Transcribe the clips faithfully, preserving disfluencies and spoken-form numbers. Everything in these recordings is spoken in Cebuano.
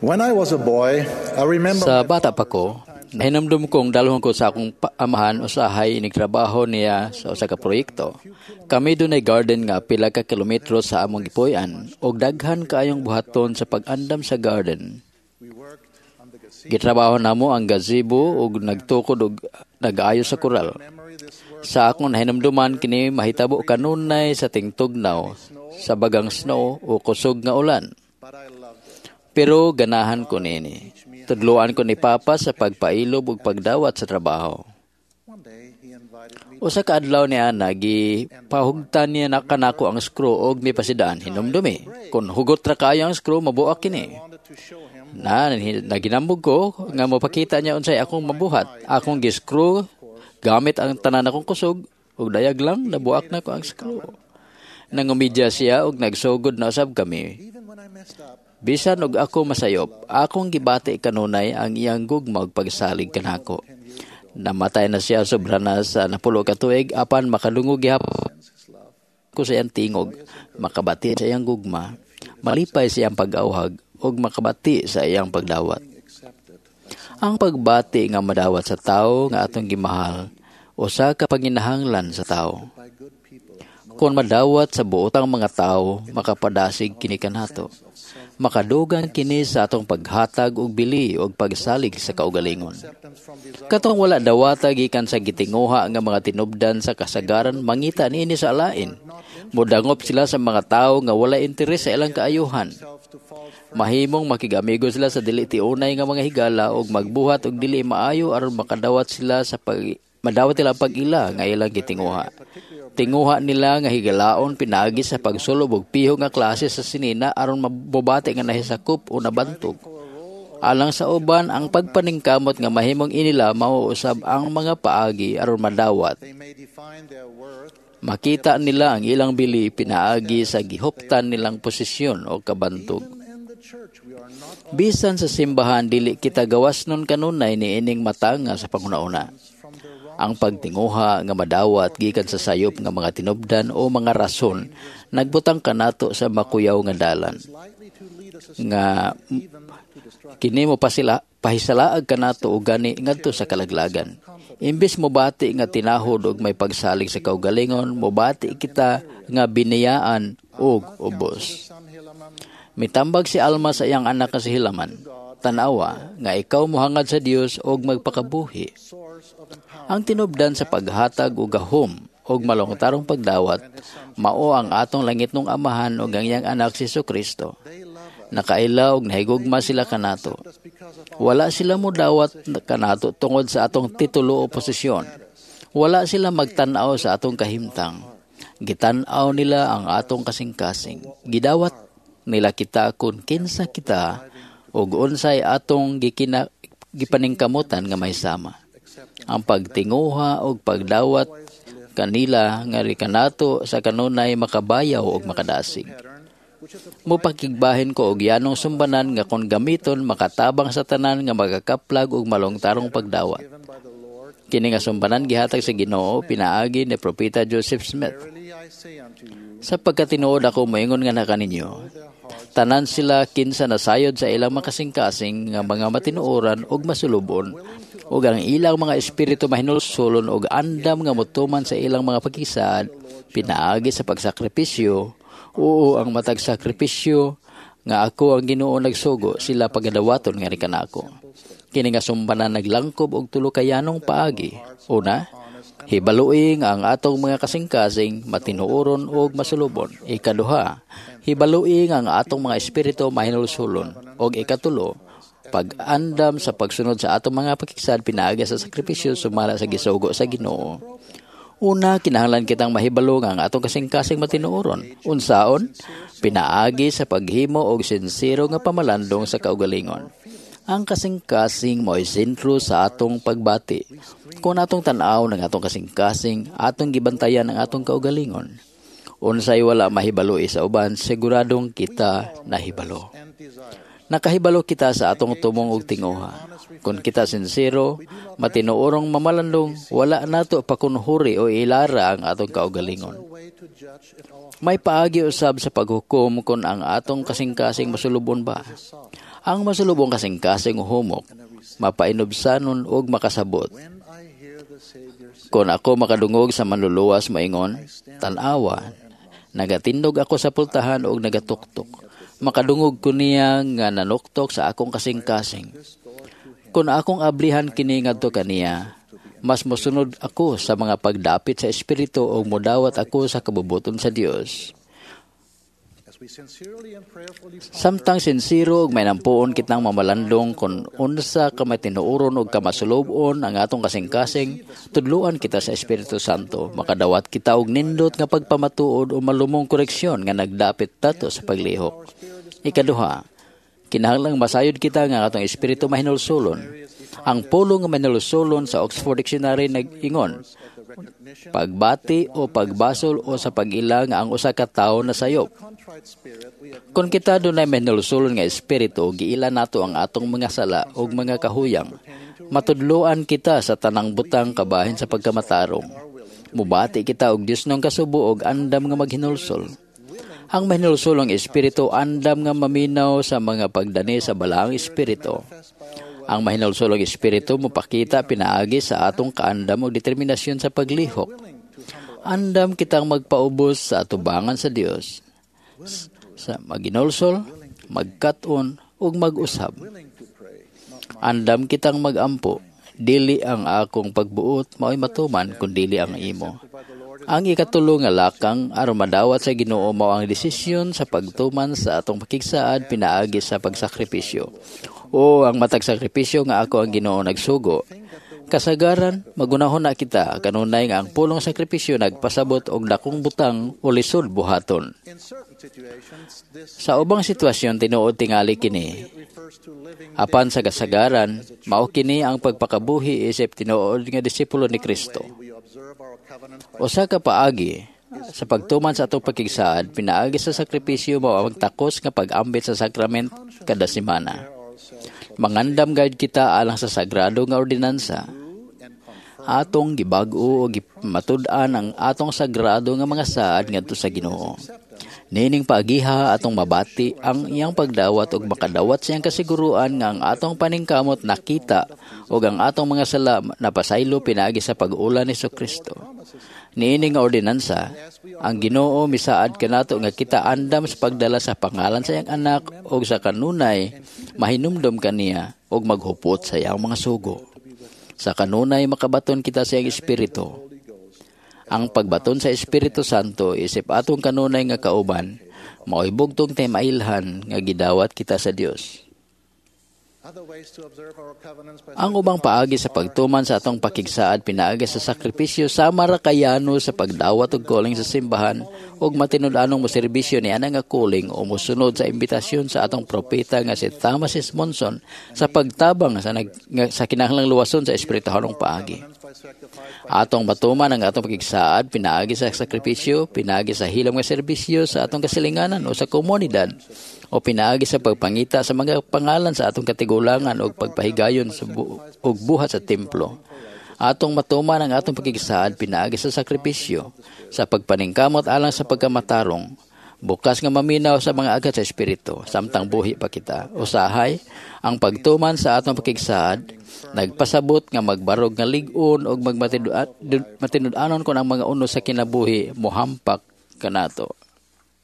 When I was a boy, I remember Sa my bata pa ko, nahinumdum kong dalhon ko sa akong pa- amahan usahay inig trabaho niya sa usa ka proyekto. Kami dunay garden nga pila ka kilometro sa among gipuy-an ug daghan kaayong buhaton sa pag-andam sa garden. we worked on the gazebo. Gitrabaho namo ang gazebo ug nagtukod og nag-ayo sa koral. Memory this work Sa akong nahinumduman kini mahitabo kanunay sa tingtugnaw, sa bagang snow o kusog nga ulan. but I loved it. Pero ganahan ko niini. Tudloan ko ni Papa sa pagpailob ug pagdawat sa trabaho. One day he invited me Usa ka adlaw niya gipahugtan niya na kanako ang screw og mipasidaan hinumdumi. Kung hugot ra kaayo ang screw mabuak kini. wanted to show him Na naginambog ko nga mopakita niya unsay akong mabuhat. Akong gi-screw gamit ang tanan akong kusog ug dayag lang nabuak na ko ang screw. Nangumidya siya ug nagsugod na usab kami. even when I messed up, Bisan og ako masayop, akong gibati kanunay ang iyang gugma ug pagsalig kanako. Namatay na siya sobra na sa napulo ka tuig apan makadungog gihapon ko sa iyang tingog, makabati sa iyang gugma, malipay sa iyang pag-awhag ug makabati sa iyang pagdawat. accepted. Ang pagbati nga madawat sa tawo nga atong gimahal, usa ka panginahanglan sa tawo. By good people. Kung madawat sa buotang mga tawo, makapadasig kini kanato. Makadugang kini sa atong paghatag og bili og pagsalig sa kaugalingon. Acceptance from desire Katong wala dawata gikan sa gitinguha nga mga tinubdan sa kasagaran mangita niini sa alain. Mudangop sila sa mga tawo nga wala interes sa ilang kaayuhan. self to false Mahimong makig-amigo sila sa dili tiunay nga mga higala ug magbuhat og dili maayo aron makadawat sila sa pag madawat nila ang pag-ila nga ilang gitinguha. Tinguha nila nga higalaon pinaagi sa pagsulob og piho nga klase sa sinina aron mabubati nga nahisakop o nabantog. Alang sa uban, ang pagpaningkamot nga mahimong inila mao usab ang mga paagi aron madawat. They may define their worth Makita nila ang ilang bili pinaagi sa gihuptan nilang posisyon o kabantog. Even in the church, we are not Bisan sa simbahan dili kita gawas nun kanunay niining matanga sa panghuna-una. from the wrong Ang pagtinguha nga madawat gikan sa sayop nga mga tinubdan o mga rason nagbutang kanato sa makuyaw nga dalan likely to lead us nga even to destruction. kini mo pasila pahisalaag kanato og gani ngadto sa kalaglagan. Imbes mobati nga tinahod og may pagsalig sa kaugalingon, mobati kita nga biniyaan og ubos. Son Helaman, Mitambag si Alma sa iyang anak nga si Hilaman. Tanawa nga ikaw mohangad sa Dios og magpakabuhi. source of empowerment Ang tinubdan sa paghatag og gahom og malungtarong pagdawat mao ang atong langitnong amahan ug ang iyang anak si Kristo. They love us. Nakaila og nahigugma sila kanato. Just because of Wala sila modawat kanato tungod sa atong titulo o posisyon. Wala sila magtan-aw sa atong kahimtang. Gitan-aw nila ang atong kasing-kasing. Gidawat nila kita kung kinsa kita ug unsay atong gikina, gipaningkamutan nga may sama. Ang pagtinguha og pagdawat kanila nga kanato sa kanunay makabayaw ug makadasig. pattern, which is Mupakigbahin ko og yanong sumbanan nga kon gamiton makatabang sa tanan nga magakaplag og malungtarong pagdawat. given by the Lord. Kini nga sumbanan gihatag sa Ginoo pinaagi ni Propeta Joseph Smith. Verily I say unto you, Sa pagkatinuod ako moingon nga na kaninyo, their hearts tanan sila kinsa nasayod sa ilang makasingkasing nga mga matinuoran ug masulubon ug ang ilang mga espiritu mahinulsulon ug andam nga motuman sa ilang mga pagkisaad pinaagi sa pagsakripisyo oo ang matag sakripisyo nga ako ang Ginoo nagsugo sila pagadawaton nga kanako kini nga sumbanan naglangkob og tulo ka yanong paagi una hibalui nga ang atong mga kasing-kasing matinuoron ug masulubon ikaduha hibalui nga ang atong mga espiritu mahinulsulon ug ikatulo pag-andam sa pagsunod sa atong mga pakigsad pinaagi sa sakripisyo sumala sa gisugo sa Ginoo Una, kinahanglan kitang mahibalo nga ang atong kasing-kasing matinuoron. Unsaon? Pinaagi sa paghimo og sinsero nga pamalandong sa kaugalingon. Ang kasing-kasing mo'y sentro sa atong pagbati. Kung atong tan-aw ng atong kasing-kasing, atong gibantayan ang atong kaugalingon. Unsay wala mahibalo sa uban, siguradong kita nahibalo. and desire. Nakahibalo kita sa atong tumong og tinguha. Kung kita sinsero, matinuorong mamalandong, wala nato pakunhuri o ilara ang atong kaugalingon. A way to judge if our May paagi usab sa paghukom kung ang atong kasing-kasing masulubon ba. Ang masulubong kasing-kasing humok, mapainubsanon og makasabot. When I hear the Savior say, Kung ako makadungog sa manluluwas moingon, tan-awa, nagatindog ako sa pultahan og nagatuktok. Makadungog ko niya nga nanuktok sa akong kasing-kasing. this door to him, Kung akong ablihan kini ngadto kaniya, mas mosunod ako sa mga pagdapit sa espiritu ug modawat ako sa kabubuton sa Dios. as we sincerely and prayerfully ponder Samtang sinsiro ug may nampuon kitang mamalandong kung unsa ka matinuoron ug kamasulub-on ang atong kasing-kasing, tudluan kita sa Espiritu Santo. Makadawat kita og nindot nga pagpamatuod o malumong koreksyon nga nagdapit tato sa paglihok. Ikaduha, kinahanglang masayod kita nga ang atong espiritu mahinulsulon. Ang pulong nga mahinulsulon sa Oxford Dictionary nag-ingon, of the recognition pagbati o pagbasol o sa pag-ila nga ang usa ka tawo nasayop. contrite spirit, we acknowledge Kung kita dunay mahinulsulon nga espiritu, giila nato ang atong mga sala ug mga kahuyang. Matudloan kita sa tanang butang kabahin sa pagkamatarong. Mubati kita og Dios nung kasubo og andam nga maghinulsol. Ang mahinulsulong espiritu andam nga maminaw sa mga pagdani sa balaang espiritu. Ang mahinulsulong espiritu mopakita pinaagi sa atong kaandam ug determinasyon sa paglihok. Andam kitang magpaubos sa atubangan sa Dios sa maginulsol, magkat-on ug mag-usab. willing to pray, not Andam kitang magampo, dili ang akong pagbuot mao'y matuman kun dili ang imo. by the Lord Ang ikatulo nga lakang aron madawat sa Ginoo mao ang desisyon sa pagtuman sa atong pakigsaad pinaagi sa pagsakripisyo. O ang matag sakripisyo nga ako ang Ginoo nagsugo. Kasagaran, magunahon na kita kanunay nga ang pulong sakripisyo nagpasabot og dakong butang o lisod buhaton. In certain situations, this Sa ubang sitwasyon tinuod tingali kini. refers to living Apan sa kasagaran, mao kini ang pagpakabuhi isip tinuod nga disipulo ni Kristo. we observe our covenants by Usa ka paagi sa pagtuman sa atong pakigsaad pinaagi sa sakripisyo mao ang takos nga pag-ambit sa sakrament kada semana. ourselves Mangandam gayud kita alang sa sagrado nga ordinansa. and confirm Atong gibag-o o gimatud-an ang atong sagrado nga mga saad ngadto sa Ginoo. Niining paagiha atong mabati ang iyang pagdawat ug makadawat sa iyang kasiguruan nga ang atong paningkamot nakita ug ang atong mga sala napasaylo pinaagi sa pag-ula ni Kristo. Niini nga ordinansa, ang Ginoo misaad kanato nga kita andam sa pagdala sa pangalan sa iyang anak ug sa kanunay mahinumdom kaniya ug maghupot sa iyang mga sugo. Sa kanunay makabaton kita sa iyang espiritu. Ang pagbaton sa Espiritu Santo isip atong kanunay nga kauban, mao'y bugtong tay mailhan nga gidawat kita sa Dios. other ways to observe our covenants by Ang ubang paagi sa pagtuman sa atong pakigsaad pinaagi sa sakripisyo sama ra kayano sa pagdawat og calling sa simbahan ug matinud-anong moserbisyo ni ana nga calling o mosunod sa imbitasyon sa atong propeta nga si Thomas S. Monson sa pagtabang sa nag, nga, sa kinahanglang luwason sa espirituhanong paagi. covenants by sacrifice Atong matuman ang atong pakigsaad pinaagi sa sakripisyo, pinaagi sa hilom nga serbisyo sa atong kasilinganan o sa komunidad o pinaagi sa pagpangita sa mga pangalan sa atong katigulangan o pagpahigayon sa bu- og buhat sa templo. Atong matuman ang atong pakigsaad pinaagi sa sakripisyo, sa pagpaningkamot alang sa pagkamatarong, bukas nga maminaw sa mga agat sa espiritu, samtang buhi pa kita. Usahay, ang pagtuman sa atong pakigsaad, nagpasabot nga magbarog nga lig-on og magmatinud-anon kon ang mga uno sa kinabuhi mohampak kanato.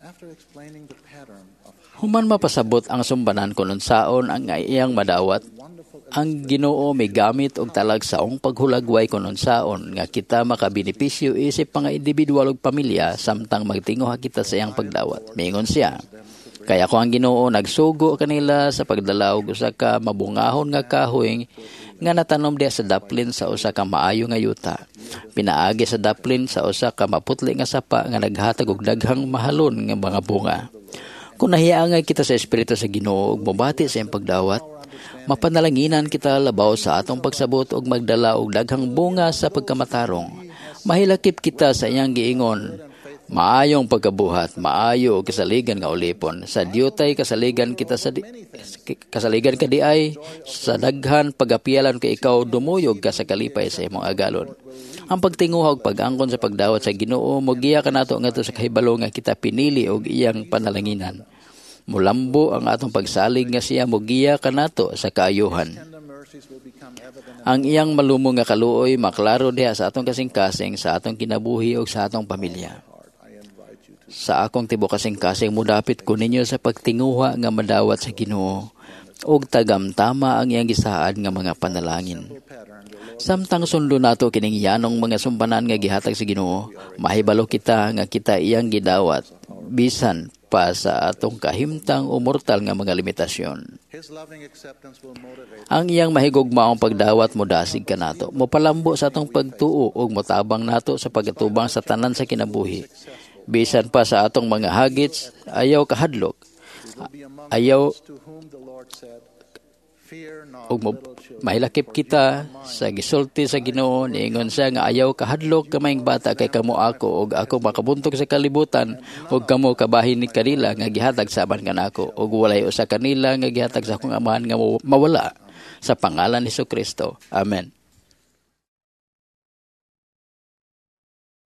after explaining the pattern of Human mapasabot ang sumbanan kon unsaon ang iyang madawat, wonderful ang Ginoo migamit og talagsaong paghulagway kon unsaon nga kita makabenepisyo isip mga individual ug pamilya samtang magtinguha kita sa iyang pagdawat. Miingon siya, Kaya ako ang Ginoo nagsugo kanila sa pagdala og usa ka mabungahon nga kahoy nga natanom diha sa daplin sa usa ka maayo nga yuta. Pinaagi sa daplin sa usa ka maputli nga sapa nga naghatag og daghang mahalon nga mga bunga. Kung nahiangay kita sa Espiritu sa Ginoo ug mobati sa iyang pagdawat, mapanalanginan kita labaw sa atong pagsabot ug magdala og daghang bunga sa pagkamatarong. Mahilakip kita sa iyang giingon, maayong pagkabuhat, maayo og kasaligan nga ulipon. Sa diyutay kasaligan kita sa di, kasaligan ka di ay sa daghan pagapialan kay ikaw dumuyog ka sa kalipay sa imong agalon. Ang pagtinguha ug pag-angkon sa pagdawat sa Ginoo mogiya kanato ngadto sa kahibalo nga kita pinili og iyang panalanginan. Mulambo ang atong pagsalig nga siya mogiya kanato sa kaayuhan. Tender mercies will become evident Ang iyang malumo nga kaluoy maklaro diha sa atong kasing-kasing, sa atong kinabuhi ug sa atong pamilya. heart. I invite you to Sa akong tibuok kasing-kasing modapit ko ninyo sa pagtinguha nga madawat sa Ginoo ug tagamtama ang iyang gisaad nga mga panalangin. pattern the Lord Samtang sundo nato kining yanong mga sumpanan nga gihatag sa Ginoo, mahibalo kita nga kita iyang gidawat bisan pa sa atong kahimtang o mortal nga mga limitasyon. His loving acceptance will motivate Ang iyang mahigugmaong pagdawat modasig kanato, mopalambo sa atong pagtuo ug motabang nato sa pagatubang sa tanan sa kinabuhi. Bisan pa sa atong mga hagits, ayaw kahadlok. We will be among Ayaw those to whom the Lord said, Fear not, ug mo, little children, mahilakip kita sa gisulti sa Ginoo. Niingon siya nga ayaw kahadlok, gamayng bata, kay kamo ako ug ako makabuntog sa kalibutan ug kamo kabahin ni kanila nga gihatag sa amahan kanako ug walay usa kanila nga gihatag sa akong Amahan nga mawala. Sa pangalan ni Kristo, amen.